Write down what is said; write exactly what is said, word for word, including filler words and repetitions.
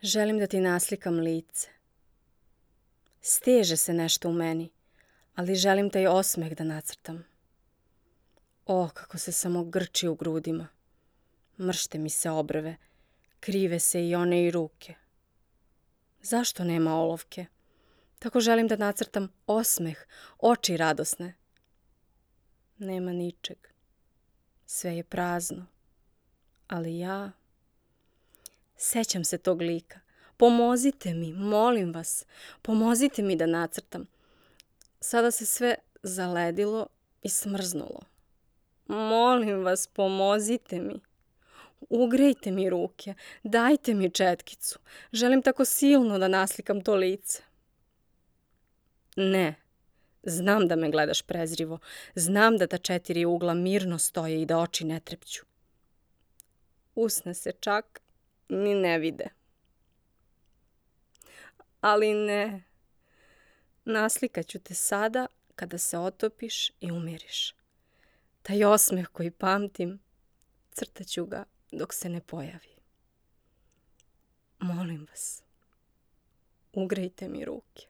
Želim da ti naslikam lice. Steže se nešto u meni, ali želim taj osmeh da nacrtam. O, kako se samo grči u grudima. Mršte mi se obrve, krive se i one i ruke. Zašto nema olovke? Tako želim da nacrtam osmeh, oči radosne. Nema ničeg. Sve je prazno. Ali ja... Sećam se tog lika. Pomozite mi, molim vas. Pomozite mi da nacrtam. Sada se sve zaledilo i smrznulo. Molim vas, pomozite mi. Ugrejte mi ruke. Dajte mi četkicu. Želim tako silno da naslikam to lice. Ne. Znam da me gledaš prezrivo. Znam da ta četiri ugla mirno stoje i da oči ne trepću. Usne se čak ni ne vide. Ali ne. Naslikaću te sada kada se otopiš i umiriš. Taj osmeh koji pamtim, crtaću ga dok se ne pojavi. Molim vas, ugrejte mi ruke.